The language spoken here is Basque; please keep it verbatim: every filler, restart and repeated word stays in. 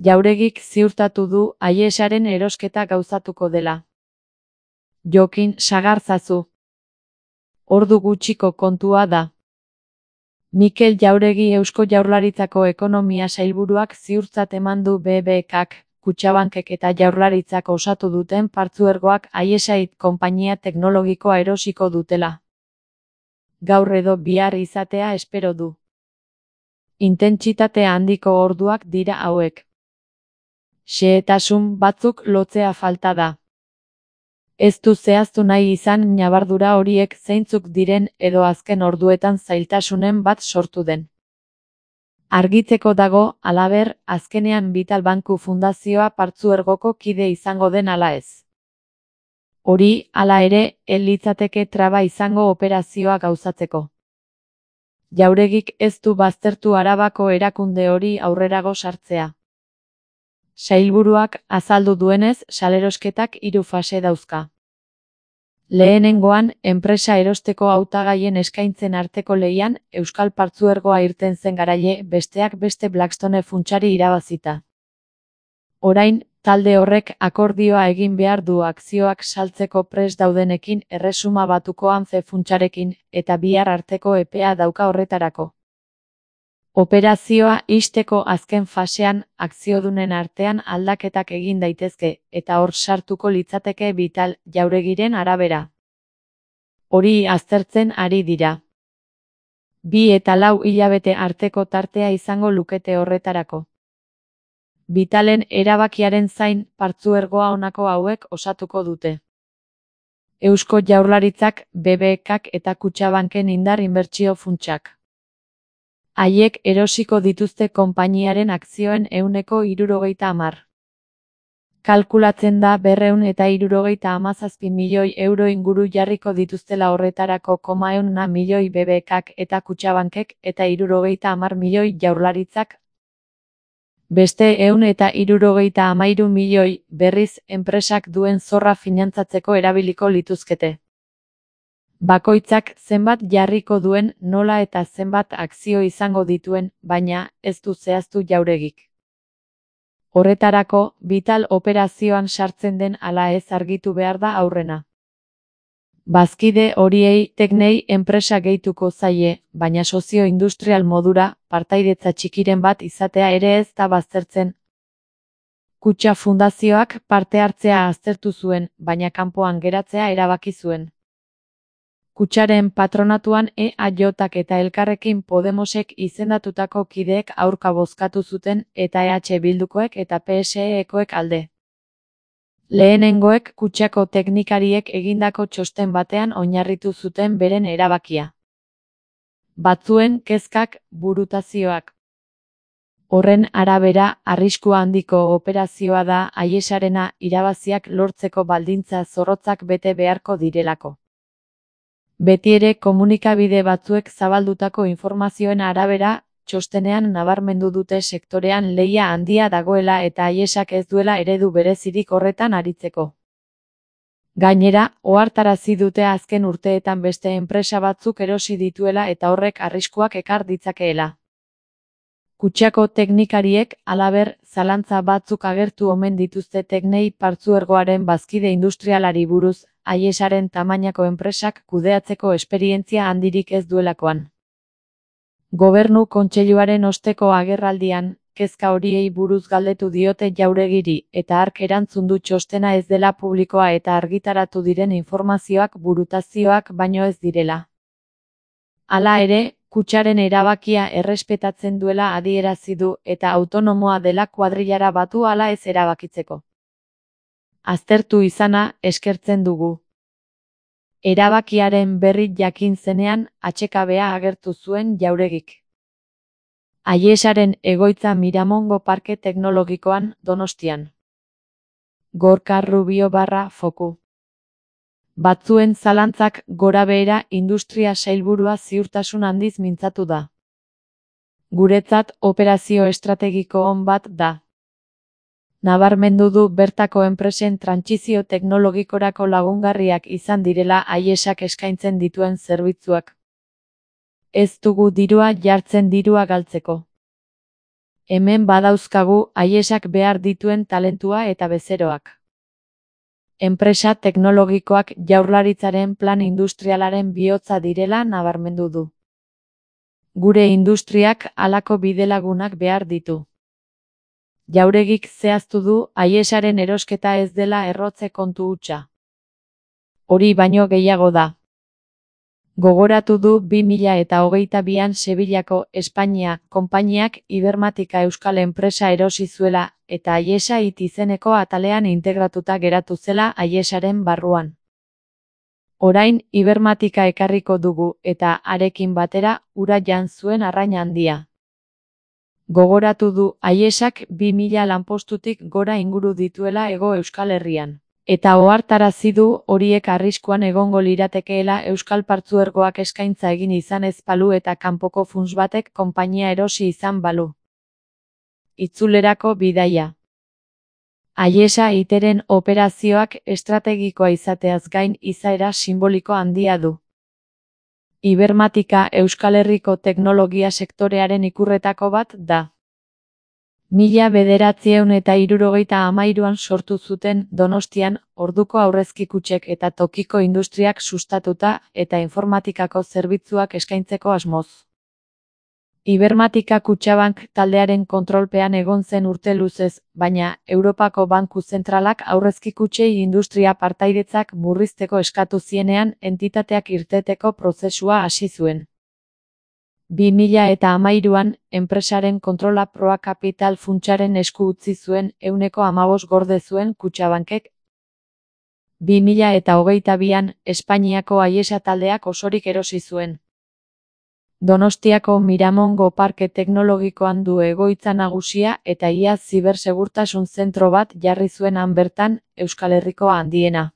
Jauregik ziurtatu du Aiesaren erosketa gauzatuko dela. Jokin sagarzazu. Ordu gutxiko kontua da. Mikel Jauregi Eusko Jaurlaritzako Ekonomia Sailburuak ziurtzat eman du B B Kak, Kutxabankek eta Jaurlaritzak osatu duten partzuergoak Aiesait konpainia teknologikoa erosiko dutela. Gaur edo bihar izatea espero du. Intentsitate handiko orduak dira hauek. Xehetasun batzuk lotzea falta da. Ez du zehaztu nahi izan ñabardura horiek zeintzuk diren edo azken orduetan zailtasunen bat sortu den. Argitzeko dago, halaber, azkenean Vital Banku Fundazioa partzuergoko kide izango den ala ez. Hori, hala ere, ez litzateke traba izango operazioa gauzatzeko. Jauregik ez du baztertu Arabako erakunde hori aurrerago sartzea. Sailburuak azaldu duenez, salerosketak hiru fase dauzka. Lehenengoan, enpresa erosteko hautagaien eskaintzen arteko lehian, Euskal Partzuergoa irten zen garaile, besteak beste Blackstone funtsari irabazita. Orain, talde horrek akordioa egin behar du akzioak saltzeko prest daudenekin Erresuma Batuko Ance funtsarekin, eta bihar arteko epea dauka horretarako. Operazioa ixteko azken fasean, akziodunen artean aldaketak egin daitezke, eta hor sartuko litzateke Vital Jauregiren arabera. Hori aztertzen ari dira. Bi eta lau hilabete arteko tartea izango lukete horretarako. Vitalen erabakiaren zain, partzuergoa honako hauek osatuko dute. Eusko Jaurlaritzak, B B Kak eta Kutxabanken indar inbertsio funtsak. Haiek erosiko dituzte konpainiaren akzioen ehuneko hirurogeita hamar. Kalkulatzen da berrehun eta hirurogeita hamazazpi milioi euro inguru jarriko dituztela horretarako koma ehun milioi B B Kak eta Kutxabankek eta hirurogeita hamar milioi Jaurlaritzak. Beste ehun eta hirurogeita hamairu milioi berriz enpresak duen zorra finantzatzeko erabiliko lituzkete. Bakoitzak zenbat jarriko duen, nola eta zenbat akzio izango dituen, baina ez du zehaztu Jauregik. Horretarako, Vital operazioan sartzen den ala ez argitu behar da aurrena. Bazkide horiei teknei enpresa gehituko zaie, baina sozio-industrial modura, partaidetza txikiren bat izatea ere ez da baztertzen. Kutxa Fundazioak parte hartzea aztertu zuen, baina kanpoan geratzea erabaki zuen. Kutxaren patronatuan E A J-ak eta Elkarrekin Podemosek izendatutako kideek aurka bozkatu zuten eta E H Bildukoek eta P S E-ekoek alde. Lehenengoek kutxako teknikariek egindako txosten batean oinarritu zuten beren erabakia. Batzuen kezkak, burutazioak. Horren arabera, arrisku handiko operazioa da Aiesarena irabaziak lortzeko baldintza zorrotzak bete beharko direlako. Betiere komunikabide batzuek zabaldutako informazioen arabera, txostenean nabarmendu dute sektorean lehia handia dagoela eta Aiesak ez duela eredu berezirik horretan aritzeko. Gainera, ohartarazi dute azken urteetan beste enpresa batzuk erosi dituela eta horrek arriskuak ekar ditzakeela. Kutxako teknikariek, halaber, zalantza batzuk agertu omen dituzte teknei partzuergoaren bazkide industrialari buruz, Aiesaren tamainako enpresak kudeatzeko esperientzia handirik ez duelakoan. Gobernu Kontseiluaren osteko agerraldian, kezka horiei buruz galdetu diote Jauregiri, eta hark erantzun du txostena ez dela publikoa eta argitaratu diren informazioak burutazioak baino ez direla. Hala ere, kutxaren erabakia errespetatzen duela adierazi du eta autonomoa dela kuadrillara batu ala ez erabakitzeko. Aztertu izana eskertzen dugu. Erabakiaren berri jakin zenean, atsekabea agertu zuen Jauregik. Aiesaren egoitza Miramongo Parke Teknologikoan, Donostian. Gorka Rubio barra foku. Batzuen zalantzak gorabehera industria sailburua ziurtasun handiz mintzatu da. Guretzat operazio estrategiko on bat da. Nabarmendu du bertako enpresen trantsizio teknologikorako lagungarriak izan direla Aiesak eskaintzen dituen zerbitzuak. Ez dugu dirua jartzen dirua galtzeko. Hemen badauzkagu Aiesak behar dituen talentua eta bezeroak. Enpresa teknologikoak Jaurlaritzaren plan industrialaren bihotza direla nabarmendu du. Gure industriak halako bidelagunak behar ditu. Jauregik zehaztu du Aiesaren erosketa ez dela errotze kontu hutsa. Hori baino gehiago da. Gogoratu du bi mila eta hogeita bian Sevillako Espainia konpainiak Ibermatika euskal enpresa erosi zuela eta Aiesa it izeneko atalean integratuta geratu zela Aiesaren barruan. Orain Ibermatika ekarriko dugu eta arekin batera ura jan zuen arrain handia. Gogoratu du Aiesak bi mila lanpostutik gora inguru dituela Hego Euskal Herrian. Eta ohartarazi du horiek arriskuan egongo liratekeela Euskal Partzuergoak eskaintza egin izan ez balu eta kanpoko funts batek konpainia erosi izan balu. Itzulerako bidaia. Aiesa iteren operazioak estrategikoa izateaz gain izaera simboliko handia du. Ibermatika Euskal Herriko teknologia sektorearen ikurretako bat da. Mila bederatziehun eta hirurogeita hamairuan sortu zuten Donostian orduko aurrezki kutxek eta tokiko industriak sustatuta eta informatikako zerbitzuak eskaintzeko asmoz. Ibermatika Kutxabank taldearen kontrolpean egon zen urte luzez, baina Europako Banku Zentralak aurrezki kutxei industria partaidetzak murrizteko eskatu zienean entitateak irteteko prozesua hasi zuen. bi mila eta hamairuan, enpresaren kontrola Proa Kapital funtsaren esku utzi zuen ehuneko hamabost gorde zuen Kutxabankek. bi mila eta hogeita bian, Espainiako Aiesa taldeak osorik erosi zuen. Donostiako Miramongo Parke Teknologikoan du egoitza nagusia eta ia zibersegurtasun zentro bat jarri zuen han bertan, Euskal Herriko handiena.